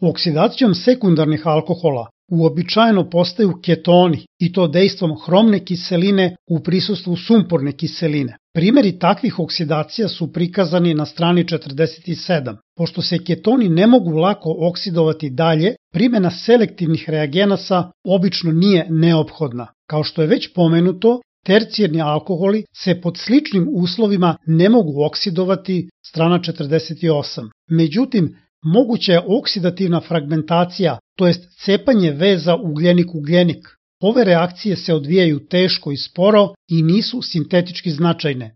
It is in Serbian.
Oksidacijom sekundarnih alkohola uobičajeno postaju ketoni i to dejstvom hromne kiseline u prisustvu sumporne kiseline. Primeri takvih oksidacija su prikazani na strani 47. Pošto se ketoni ne mogu lako oksidovati dalje, primena selektivnih reagenasa obično nije neophodna. Kao što je već pomenuto, tercijarni alkoholi se pod sličnim uslovima ne mogu oksidovati, strana 48. Međutim, moguća je oksidativna fragmentacija, to jest cepanje veza ugljenik-ugljenik. Ove reakcije se odvijaju teško i sporo i nisu sintetički značajne.